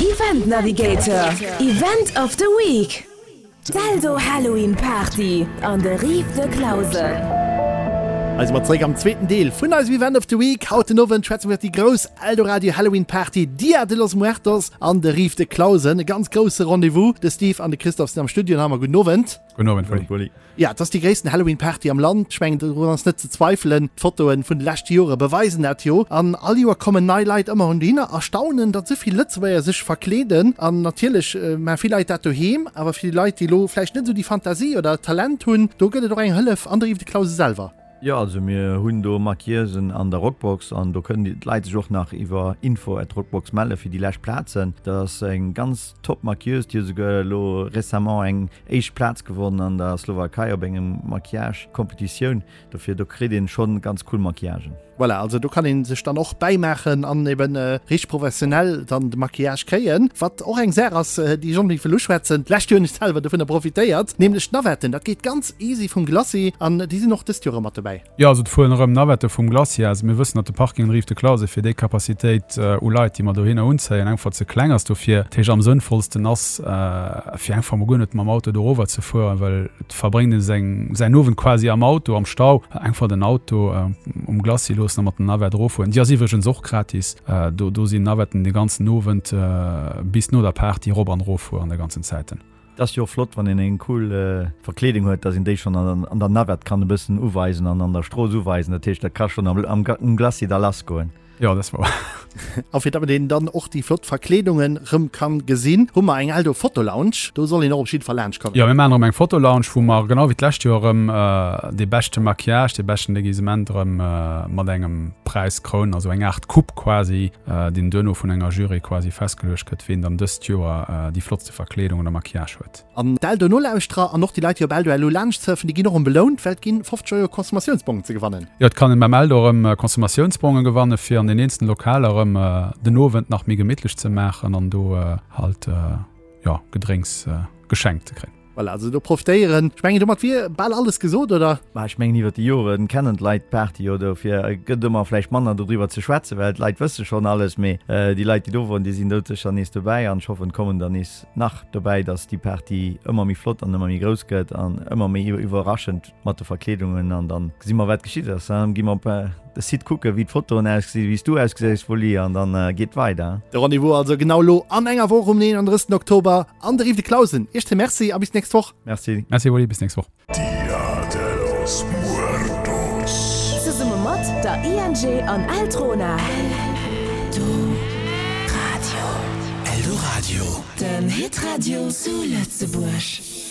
Event Navigator, Event of the Week, D'Eldo Halloween Party an de Rives de Clausen. Hei si mer zeréck am zweeten Deel vun eisem Event of the Week. Haut den Owend schwätze mer iwwer déi grouss Eldoradio Halloween Party Dia de los Muertos an de Rives de Clausen. E ganz grousse Rendez-vous. De Steve an de Christophe sinn am Studio an hu mer. Gudden Owend. Gudden Owend, Willy. Jo, et ass déi gréissten Halloween Party am Land. Ech mengen, dorun ass net ze zweifelen. D'Fotoen vun de leschte Jore beweisen dat jo. An all Joer kommen nei Leit ëmmer un dohinner a staunen, datt esou vill Lëtzebuerger sech verkleeden. An natierlech maache vill Leit dat doheem, awer fir déi Leit, déi elo vläicht net esou déi Fantasie oder Talent hunn, do gëtt et och eng Hëllef an der Yves de Clause selwer. Jo, also mir hunn do Maquilleusen an der Rockbox an do kënnen d'Leit sech och nach iwwer info at rockbox melle fir déi lescht Plazen. Dat ass eng ganz top Maquilleuse, déi huet esouguer elo récemment eng éischt Plaz gewonnen an der Slowakei op engem Maquillage Competitioun. Dofir do kritt een schonn ganz cool Maquillagen. Voilà, also do kann een sech dann och bäimaachen an eben richteg professionell dann de Maquillage kréien. Wat och eng Saach ass, déi ech onbedéngt wëll uschwätzen, d'lescht Joer hunn ech selwer dovunner profitéiert, nämlech d'Navetten. Dat geet ganz easy vum Glacis an déi sinn och dëst Joer erëm mat dobäi. Jo, also et fueren erëm Navette vum Glacis aus. Mir wëssen, datt de Parking an der Rive de Clausen fir déi Capacitéit u Leit, déi mer dohinner unzéien, einfach ze kleng ass. Dofir, dat heescht am sënnvollsten ass, fir einfach mol guer net mam Auto dorower ze fueren, well et verbréngt ee seng säin Owend quasi am Auto, am Stau. Einfach den Auto um Glacis loossen a mat der Navette eroffueren. Déi ass iwwregens och gratis. Do do sinn Navetten de ganzen Owend bis no der Party erop an eroffueren de ganzen Zäiten. Et ass jo och flott wann een eng cool Verkleedung huet, dass een déi schonn an der Navette kann e bëssen uweisen an an der Strooss uweisen. Dat heescht, dat ka schonn am Glacis da lassgoen. Jo, dat ass wouer. A fir datt een dann och déi flott Verkleedungen rëm kann gesinn, hu mer eng Eldo Fotolounge. Do soll een och op jidde Fall laanscht kommen. Jo, mir maachen erëm eng Fotolounge, wou mer genau wéi d'lescht Joer erëm dee beschte Maquillage, dee beschten Déguisement erëm mat engem Präis krounen, also eng Aart Coupe quasi, deen duerno vun enger Jury quasi festgeluecht gëtt, ween dann dëst Joer déi flottste Verkleedung oder Maquillage huet. An d'Eldo-Nolauschterer an och déi Leit, déi op Eldo elo laanscht surfen, déi ginn och erëm belount, well et ginn 50 Euro Consommatiounsbongen ze gewannen. Jo, et kann een beim Eldo erëm Consommatiounsbongen gewannen, fir an den eenzelen Lokaler erëm den Owend nach méi gemittlech ze maachen an do halt, jo, Gedrénks geschenkt ze kréien. Voilà, also do profitéieren. Ech mengen, domat wier bal alles gesot, oder? Mä ech mengen, iwwer déi Joren kennen d'Leit d'Party jo, dofir gëtt ëmmer vläicht manner dodriwwer ze schwätzen, well d'Leit wësse schonn alles. Mee déi Leit, déi do woren, déi sinn doudsécher nees dobäi an ech hoffen, et kommen der nees Nach dobäi, dass déi Party ëmmer méi flott an ëmmer méi grouss gëtt an ëmmer méi iwwerraschend mat de Verkleedungen an dann gesi mer wat geschitt ass. Dann gi mer op de Site kucke wéi d'Fotoen ausgesinn, wéi s du ausgesäis Wulli an dann geet weider. De Rendez-vous also genau elo an enger Woch um 31 Oktober an der Rive de Clausen. Iech zwee Merci a bis d'nächst Woch. Merci. Merci Wulli, bis nächst Woch. Dia de los Muertos. Zesumme mat der ING an Eltrona. Eldoradio. Eldoradio. Den Hitradio zu Lëtzebuerg.